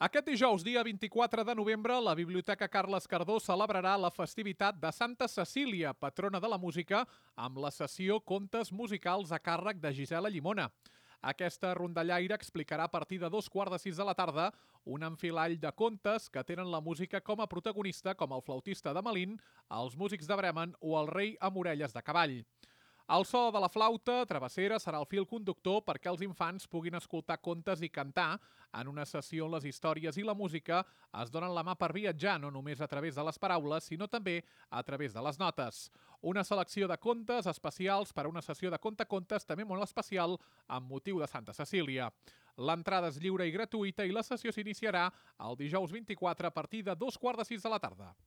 Aquest dijous, dia 24 de novembre, la Biblioteca Carles Cardó celebrarà la festivitat de Santa Cecília, patrona de la música, amb la sessió Contes musicals a càrrec de Gisela Llimona. Aquesta rondallaire explicarà a partir de 2:15 de la tarda un enfilall de contes que tenen la música com a protagonista, com el flautista de Malín, els músics de Bremen o el rei amb orelles de cavall. El so de la flauta travessera serà el fil conductor perquè els infants puguin escoltar contes i cantar en una sessió on les històries i la música es donen la mà per viatjar, no només a través de les paraules, sinó també a través de les notes. Una selecció de contes especials per a una sessió de contacontes també molt especial amb motiu de Santa Cecília. L'entrada és lliure i gratuïta i la sessió s'iniciarà el dijous 24 a partir de 2:15 de la tarda.